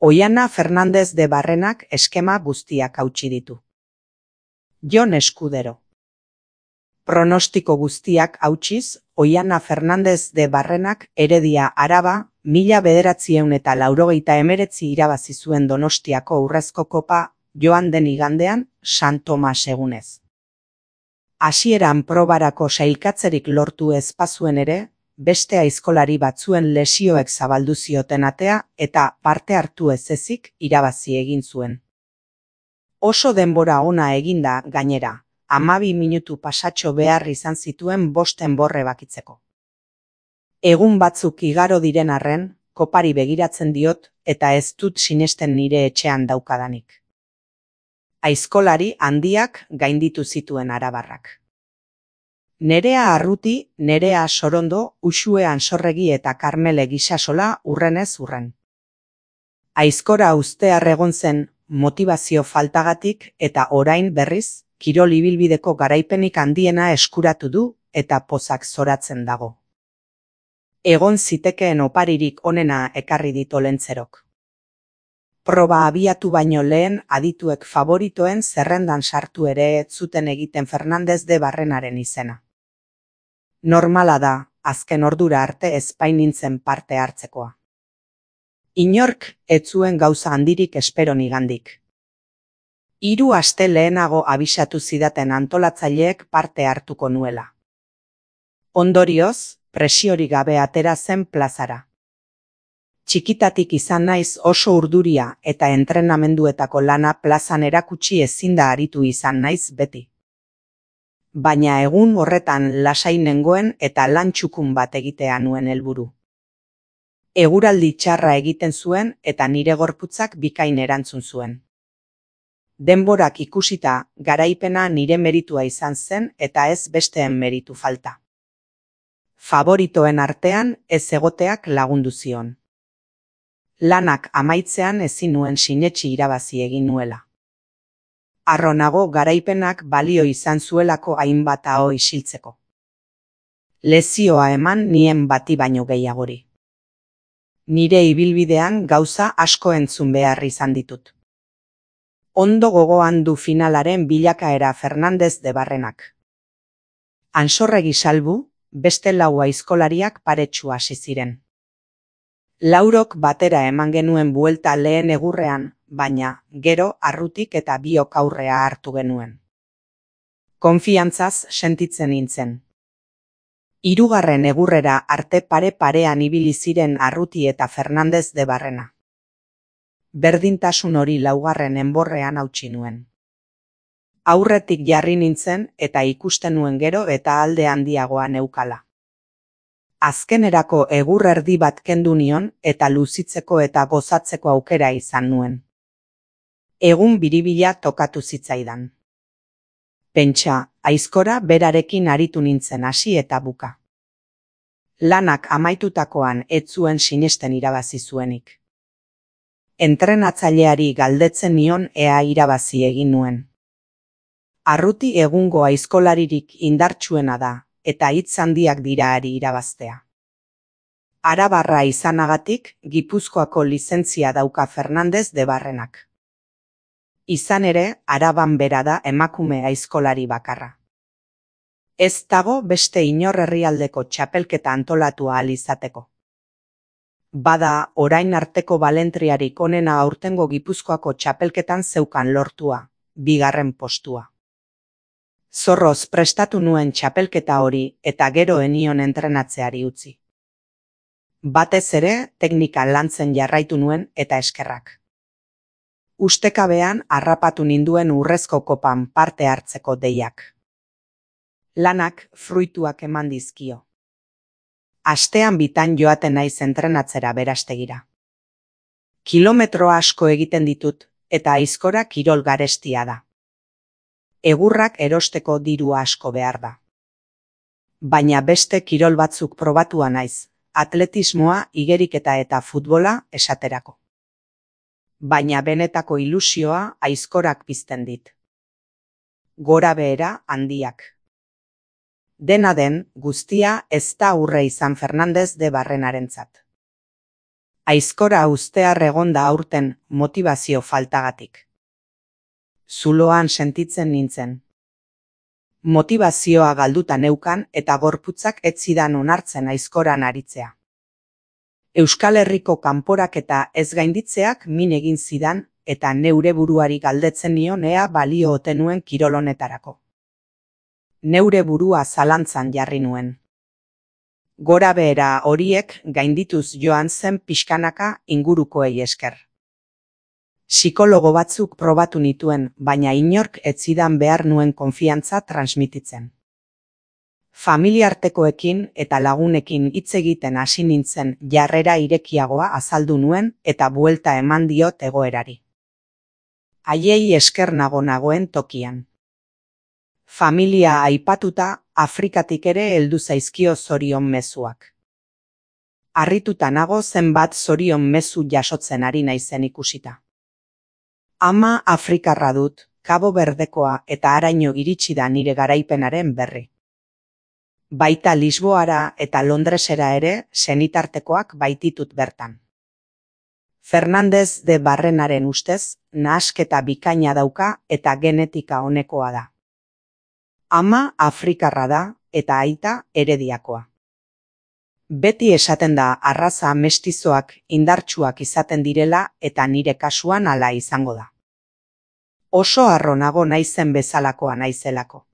Oiana Fernández de Barrenak eskema guztiak hautsi ditu. Jon Eskudero. Pronostiko guztiak hautsiz, Oiana Fernández de Barrenak Heredia Araba 1989 irabazi zuen Donostiako Urrezko Kopa joan den igandean San Tomas egunez. Hasieran probarako sailkatzerik lortu ez bazuen ere, beste aizkolari batzuen lesioek zabaldu zioten atea eta parte hartu ez ezik irabazi egin zuen. Oso denbora ona eginda gainera, 12 minutu pasatxo behar izan zituen 5 enbor ebakitzeko. Egun batzuk igaro diren arren, kopari begiratzen diot eta ez dut sinesten nire etxean daukadanik. Aizkolari handiak gainditu zituen arabarrak. Nerea Arruti, Nerea Sorondo, Uxue Ansorregi eta Karmele Gisasola urrenez urren. Aizkora ustear egon zen motivazio faltagatik eta orain berriz, kirol ibilbideko garaipenik handiena eskuratu du eta pozak zoratzen dago. Egon zitekeen oparirik onena ekarri dit Olentzerok. Proba abiatu baino lehen adituek favoritoen zerrendan sartu ere ez zuten egiten Fernández de Barrenaren izena. Normala da, azken ordura arte ez bainintzen parte hartzekoa. Inork ez zuen gauza handirik espero nigandik. 3 aste lehenago abisatu zidaten antolatzaileek parte hartuko nuela. Ondorioz, presiorik gabe atera zen plazara. Txikitatik izan naiz oso urduria eta entrenamenduetako lana plazan erakutsi ezinda aritu izan naiz beti. Baina egun horretan lasai nengoen eta lan txukun bat egitea nuen helburu. Eguraldi txarra egiten zuen eta nire gorputzak bikain erantzun zuen. Denborak ikusita, garaipena nire meritua izan zen eta ez besteen meritu falta. Favoritoen artean ez egoteak lagundu zion. Lanak amaitzean ezin nuen sinetsi irabazi egin nuela. Harro nago garaipenak balio izan zuelako hainbat aho isiltzeko. Lezioa eman nien bati baino gehiagori. Nire ibilbidean gauza asko entzun behar izan ditut. Ondo gogoan du finalaren bilakaera Fernández de Barrenak. Ansorregi salbu, beste 4 aizkolariak paretsu hasi ziren. Laurok batera eman genuen buelta lehen egurrean, baina gero Arrutik eta biok aurrea hartu genuen. Konfiantzaz sentitzen nintzen. 3. egurrera arte pare-parean ibili ziren Arruti eta Fernández de Barrena. Berdintasun hori 4. enborrean hautsi nuen. Aurretik jarri nintzen eta ikusten nuen gero eta alde handiagoa neukala. Azkenerako egur erdi bat kendu nion eta luzitzeko eta gozatzeko aukera izan nuen. Egun biribila tokatu zitzaidan. Pentsa, aizkora berarekin aritu nintzen hasi eta buka. Lanak amaitutakoan ez zuen sinesten irabazi zuenik. Entrenatzaileari galdetzen nion ea irabazi egin nuen. Arruti egungo aizkolaririk indartsuena da, eta hitz handiak dira ari irabaztea. Arabarra izanagatik, Gipuzkoako lizentzia dauka Fernández de Barrenak. Izan ere, Araban bera da emakume aizkolari bakarra. Ez dago beste inor herrialdeko txapelketa antolatu ahal izateko. Bada, orain arteko balentriarik onena aurtengo Gipuzkoako txapelketan zeukan lortua, 2. postua. Zorroz prestatu nuen txapelketa hori eta gero enion entrenatzeari utzi. Batez ere, teknika lantzen jarraitu nuen eta eskerrak. Ustekabean harrapatu ninduen Urrezko Kopan parte hartzeko deiak. Lanak fruituak eman dizkio. Astean bitan joaten naiz entrenatzera Berastegira. Kilometro asko egiten ditut eta aizkora kirol garestia da. Egurrak erosteko diru asko behar da. Baina beste kirol batzuk probatua naiz, atletismoa, igeriketa eta futbola esaterako. Baina benetako ilusioa aizkorak pizten dit. Gora behera handiak. Dena den, guztia ez da aurre izan Fernández de Barrenarentzat. Aizkora ustear egonda aurten motivazio faltagatik. Zuloan sentitzen nintzen. Motivazioa galduta neukan eta gorputzak ez zidan onartzen aizkoran aritzea. Euskal Herriko kanporaketa ez gainditzeak min egin zidan eta neure buruari galdetzen nion ea balio ote nuen kirol honetarako. Neure burua zalantzan jarri nuen. Gora behera horiek gaindituz joan zen pixkanaka ingurukoei esker. Psikologo batzuk probatu nituen, baina inork ez zidan behar nuen konfiantza transmititzen. Familiartekoekin eta lagunekin hitz egiten hasi nintzen jarrera irekiagoa azaldu nuen eta buelta eman diot egoerari. Haiei esker nagoen tokian. Familia aipatuta, Afrikatik ere heldu zaizkio zorion mezuak. Harrituta nago zenbat zorion mezu jasotzen ari naizen ikusita. Ama Afrikarra dut, Kabo Berdekoa eta haraino iritsi da nire garaipenaren berri. Baita Lisboara eta Londresera ere senitartekoak baititut bertan. Fernandez de Barrenaren ustez, nahasketa bikaina dauka eta genetika onekoa da. Ama Afrikarra da eta aita Herediakoa. Beti esaten da arraza mestizoak indartsuak izaten direla eta nire kasuan hala izango da. Oso harro nago naizen bezalakoa naizelako.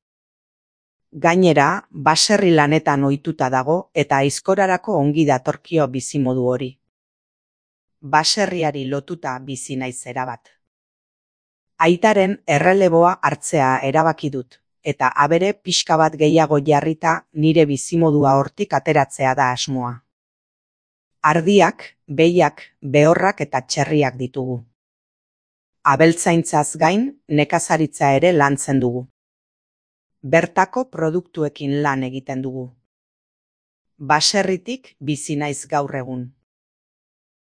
Gainera, baserri lanetan ohituta dago eta aizkorarako ongi datorkio bizimodu hori. Baserriari lotuta bizi naiz erabat. Aitaren erreleboa hartzea erabaki dut, eta abere pixka bat gehiago jarrita nire bizimodua hortik ateratzea da asmoa. Ardiak, behiak, behorrak eta txerriak ditugu. Abeltzaintzaz gain, nekazaritza ere lantzen dugu. Bertako produktuekin lan egiten dugu. Baserritik bizi naiz gaur egun.